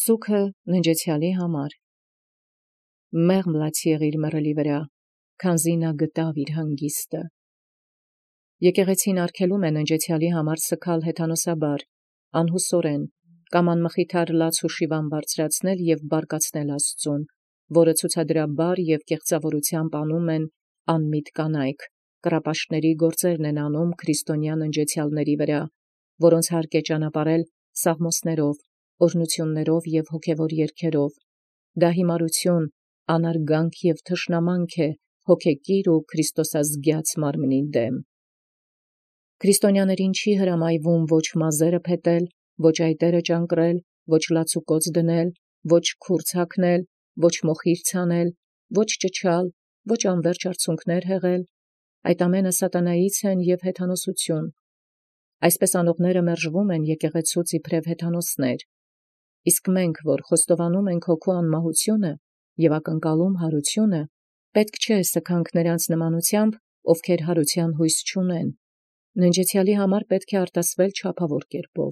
Սուքը ննջեցյալի համար։ Մեղմ լաց եղիր մռելի վրա, քանզի նա գտավ իր հանգիստը։ Եկեղեցին արգելում է ննջեցյալի համար սգալ հեթանոսաբար, անհուսորեն, կամ անմխիթար լաց ու շիվան բարձրացնել և բարկացնել Աստծուն, որը ցուցադրաբար և կեղծավորությամբ անում են անմիտ կանայք, կռապաշտների գործերն են անում քրիստոնյա ննջեցյալների վրա, որոնց հարկ է ճանապարհել սաղմոսներով, օրհնություններով և հոգևոր երգերով։ Դա հիմարություն, անարգանք և թշնամանք է հոգեկիր ու քրիստոսազգյաց մարմնի դեմ։ Քրիստոնյաներին չի հրամայվում ոչ մազերը փետել, ոչ այտերը ճանկռել, ոչ լացուկոծ դնել, ոչ քուրձ հագնել, ոչ մոխիր ցանել, ոչ ճչալ, ոչ անվերջ արցունքներ հեղել։ Այդ ամենը սատանայից են և հեթանոսություն։ Այսպես անողները մերժվում են եկեղեցուց իբրև հեթանոսներ։ Իսկ մենք, որ խոստովանում ենք հոգու անմահությունը և ակնկալում հարությունը, պետք չէ սգանք նրանց նմանությամբ, ովքեր հարության հույս չունեն։ Ննջեցյալի համար պետք է արտասվել չափավոր կերպով,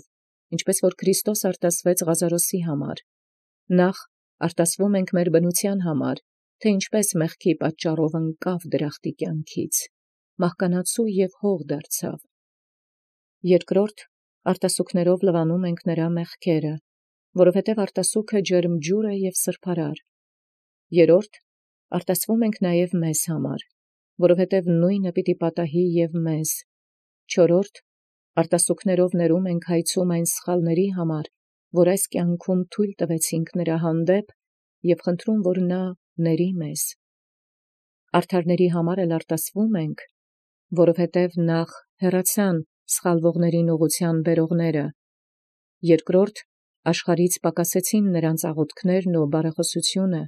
ինչպես որ Քրիստոս արտասվեց Ղազարոսի համար։ Նախ արտասվում ենք մեր բնության համար, թե ինչպես մեղքի պատճառով ընկավ դրախտի կյանքից, մահկանացու և հող դարձավ։ Երկրորդ արտասուքներով լվանում ենք նրա մեղքերը, որովհետև արտասուքը ջերմ ջուր է և սրբարար։ Երրորդ արտասվում ենք նաև մեզ համար, որովհետև նույնը պիտի պատահի և մեզ։ Չորրորդ արտասուքներով ներում ենք հայցում այն սխալների համար, որ այս կյանքում թույլ տվեցինք նրա հանդեպ, և խնդրում, որ նա ների մեզ։ Արդարների համար էլ արտասվում ենք, որովհետև նախ հեռացան սխալվողներին ուղղության բերողները, երկրորդ աշխարհից պակասեցին նրանց աղոթքներն ու բարեխոսությունը,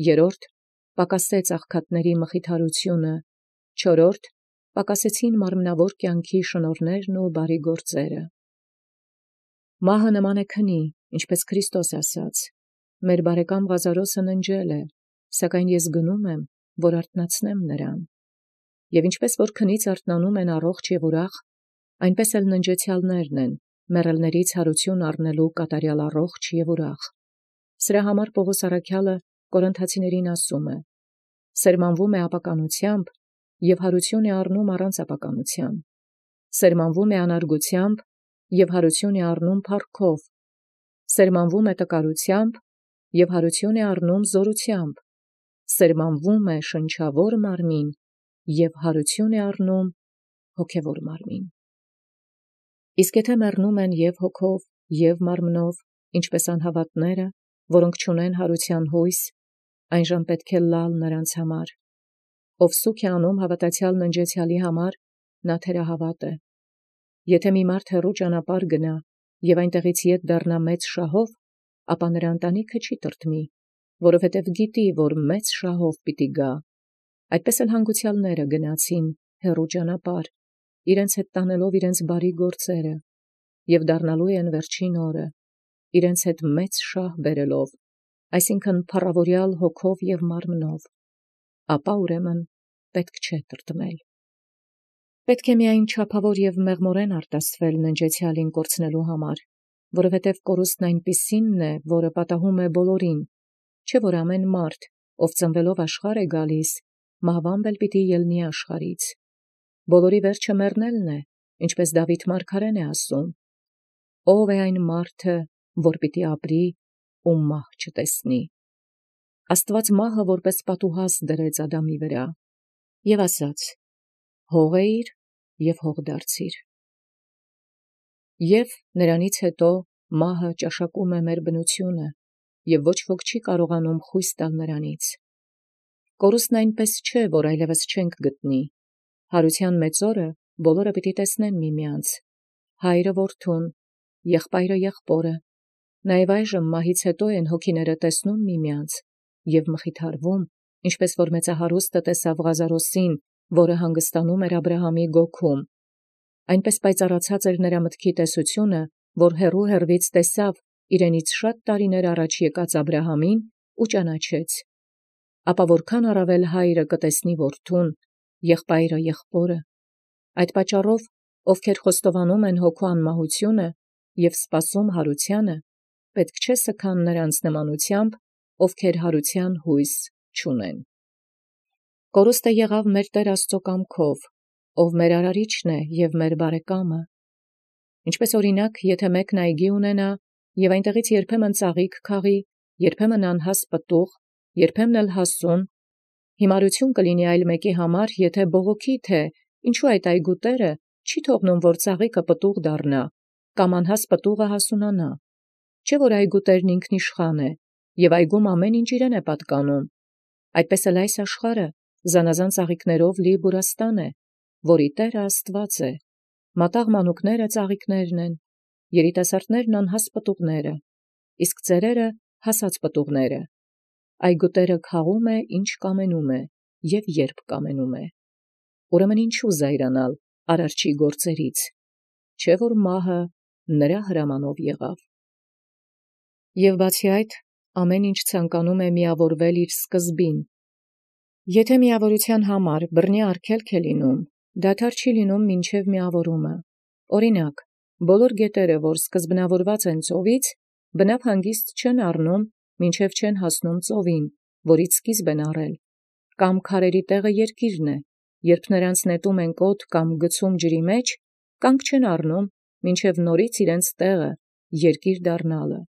երրորդ պակասեց աղքատների մխիթարությունը, չորրորդ պակասեցին մարմնավոր կյանքի շնորհներն ու բարի գործերը։ Մահը նման է քնի, ինչպես Քրիստոս ասաց. «Մեր բարեկամ Ղազարոսը ննջել է, սակայն ես գնում եմ, որ արթնացնեմ նրան»։ Եվ ինչպես որ քնից արթնանում են առողջ և ուրախ, այնպես էլ ննջեցյալներն են, մեռելներից հարություն առնելու կատարյալ առողջ և ուրախ։ Սրա համար Պողոս առաքյալը Կորինթացիներին ասում է. «Սերմանվում է ապականությամբ և հարություն է առնում առանց ապականության, սերմանվում է անարգությամբ և հարություն է առնում փառքով, սերմանվում է տկարությամբ և հարություն է առնում զորությամբ, սերմանվում է շնչավոր մարմին և հարություն է առնում հոգևոր մարմին»։ Իսկ եթե մեռնում են և հոգով, և մարմնով, ինչպես անհավատները, որոնք չունեն հարության հույս, այնժամ պետք է լալ նրանց համար։ Ով սուք է անում հավատացյալ ննջեցյալի համար, նա թերահավատ է։ Եթե մի մարդ հեռու ճանապարհ գնա և այնտեղից ետ դառնա մեծ շահով, ապա նրա ընտանիքը չի տրտմի, որովհետև գիտի, որ մեծ շահով պիտի գա։ Այդպես էլ հանգուցյալները գնացին հեռու ճանապարհ, իրենց հետ տանելով իրենց բարի գործերը, և դառնալու են վերջին օրը, իրենց հետ մեծ շահ բերելով, այսինքն փառավորյալ հոգով և մարմնով, ապա ուրեմն պետք չէ տրտմել։ Պետք է միայն չափավոր և մեղմորեն արտասվել ննջեցյալին կորցնելու համար, որովհետև կորուստն այնպիսինն է, որը պատահում է բոլորին, չէ՞ որ ամեն մարդ, ով ծնվելով աշխարհ է գալիս, մահվամբ էլ պիտի ելնի աշխարհից։ Բոլորի վերջը մեռնելն է, ինչպես Դավիթ մարգարեն է ասում. «Ո՞վ է այն մարդը, որ պիտի ապրի ու մահ չտեսնի»։ Աստված մահը որպես պատուհաս դրեց Ադամի վրա և ասաց. «Հող էիր և հող դարձիր»։ Եվ նրանից հետո մահը ճաշակում է մեր բնությունը, և ոչ ոք չի կարողանում խույս տալ նրանից։ Կորուստն այնպես չէ, որ այլևս չենք գտնի։ Հարության մեծ օրը բոլորը պիտի տեսնեն միմյանց, հայրը որդուն, եղբայրը եղբորը, նաև այժմ մահից հետո են հոգիները տեսնում միմյանց և մխիթարվում, ինչպես որ մեծահարուստը տեսավ Ղազարոսին, որը հանգստանում էր Աբրահամի գոգում։ Այնպես պայծառացած էր նրա մտքի տեսությունը, որ հեռու հեռվից տեսավ իրենից շատ տարիներ առաջ եկած Աբրահամին ու ճանաչեց։ Ապա որքան առավել հայրը կտեսնի որդուն, եղբայրը եղբորը։ Այդ պատճառով, ովքեր խոստովանում են հոգու անմահությունը և սպասում հարությանը, պետք չէ սքան նրանց նմանութեամբ, ովքեր յարութեան յույս չունեն։ Կորուստը եղավ մեր Տեր Աստծո կամքով, ով մեր արարիչն է և մեր բարեկամը։ Ինչպես օրինակ, եթե մեկն այգի ունենա, և այնտեղից երբեմն ծաղիկ քաղի, երբեմն անհաս պտուղ, երբեմն էլ հասուն, հիմարություն կլինի այլ մեկի համար, եթե բողոքի, թե ինչու այդ այգու տերը չի թողնում, որ ծաղիկը պտուղ դառնա, կամ անհաս պտուղը հասունանա։ Չէ՞ որ այգու տերն ինքնիշխան է, և այգում ամեն ինչ իրեն է պատկանում։ Այդպես էլ այս աշխարհը զանազան ծաղիկներով լի բուրաստան է, որի տերը Աստված է։ Մատաղ մանուկները ծաղիկներն են, երիտասարդներն անհաս պտուղները, իսկ ծերերը հասած պտուղները։ Այգու տերը քաղում է, ինչ կամենում է, և երբ կամենում է։ Ուրեմն ինչու զայրանալ արարչի գործերից, չէ՞ որ մահը նրա հրամանով եղավ։ Եվ բացի այդ, ամեն ինչ ցանկանում է միավորվել իր սկզբին։ Եթե միավորության համար բռնի արգելք է լինում, դադար չի լինում մինչև միավորումը։ Օրինակ, բոլոր գետերը, որ սկզբնավորված են ծովից, բնավ հանգիստ չեն առնում, մինչև չեն հասնում ծովին, որից սկիզբ են առել, կամ քարերի տեղը երկիրն է, երբ նրանց նետում են կոթ կամ գցում ջրի մեջ, կանգ չեն առնում, մինչև նորից իրենց տեղը երկիր դառնալը։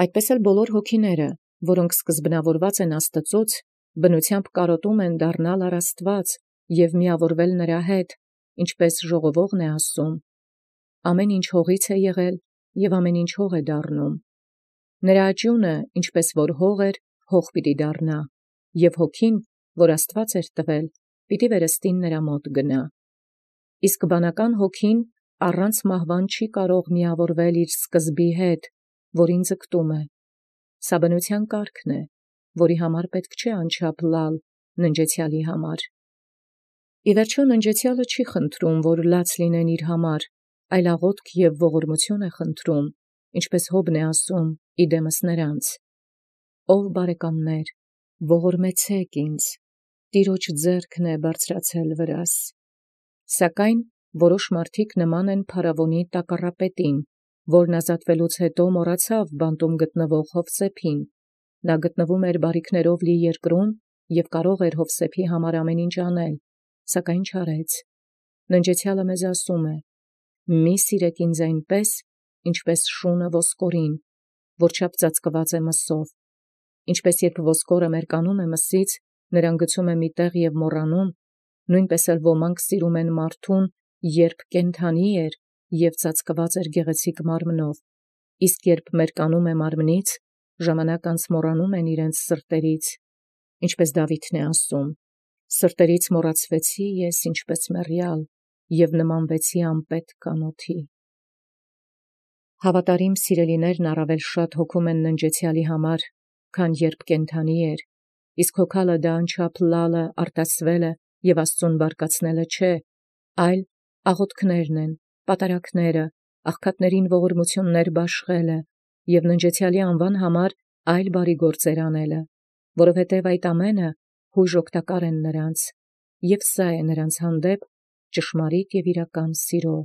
Այդպես էլ բոլոր հոգիները, որոնք սկզբնավորված են Աստծոց, բնությամբ կարոտում են դառնալ առ Աստված և միավորվել նրա հետ, ինչպես ժողովողն է ասում. ամեն ինչ հողից է եղել, և ամեն ինչ հող է դառնում։ Նրա աճյունը, ինչպես որ հող էր, հող պիտի դառնա, և հոգին, որ Աստված էր տվել, պիտի վերստին նրա մոտ գնա։ Իսկ բանական հոգին առանց մահվան չի կարող միավորվել իր սկզբի հետ, որին ձգտում է։ Սա բնության կարգն է, որի համար պետք չէ անչափ լալ ննջեցյալի համար։ Ի վերջո ննջեցյալը չի խնդրում, որ լաց լինեն իր համար, այլ աղոթք և ողորմություն է խնդրում, ինչպես Հոբն է ասում իդեմս նրանց. «Ով բարեկամներ, ողորմեցեք ինձ, Տիրոջ ձեռքն է բարձրացել վրաս»։ Սակայն որոշ մարդիկ նման են փարավոնի տակառապետին, որն ազատվելուց հետո մոռացավ բանտում գտնվող Յովսեփին։ Նա գտնվում էր բարիքներով լի երկրում և կարող էր Յովսեփի համար ամեն ինչ անել, սակայն չարեց։ Ննջեցյալը մեզ ասում է. «Մի սիրեք ինձ այնպես, ինչպես շունը ոսկորին, որչափ ծածկված է մսով։ Ինչպես երբ ոսկորը մերկանում է մսից, նրան գցում է մի տեղ և մոռանում, նույնպես էլ ոմանք սիրում են մարդուն, երբ կենդանի էր և ծածկված էր գեղեցիկ մարմնով, իսկ երբ մերկանում է մարմնից, ժամանակ անց մոռանում են իրենց սրտերից, ինչպես Դավիթն է ասում. «Սրտերից մոռացվեցի ես ինչպես մեռյալ, և նմանվեցի անպետք կանոթի»։ Հավատարիմ սիրելիներն առավել շատ հոգում են ննջեցյալի համար, քան երբ կենդանի էր, իսկ հոգալը դա անչափ լալը, արտասվելը և Աստծուն բարկացնելը չէ, այլ աղոթքներն են, պատարակները, աղքատներին ողորմություններ բաշխելը և ննջեցյալի անվան համար այլ բարի գործեր անելը, որովհետև այդ ամենը հույժ օգտակար են նրանց, և սա է նրանց հանդեպ ճշմարիտ և իրական սիրո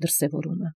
դրսևորումը։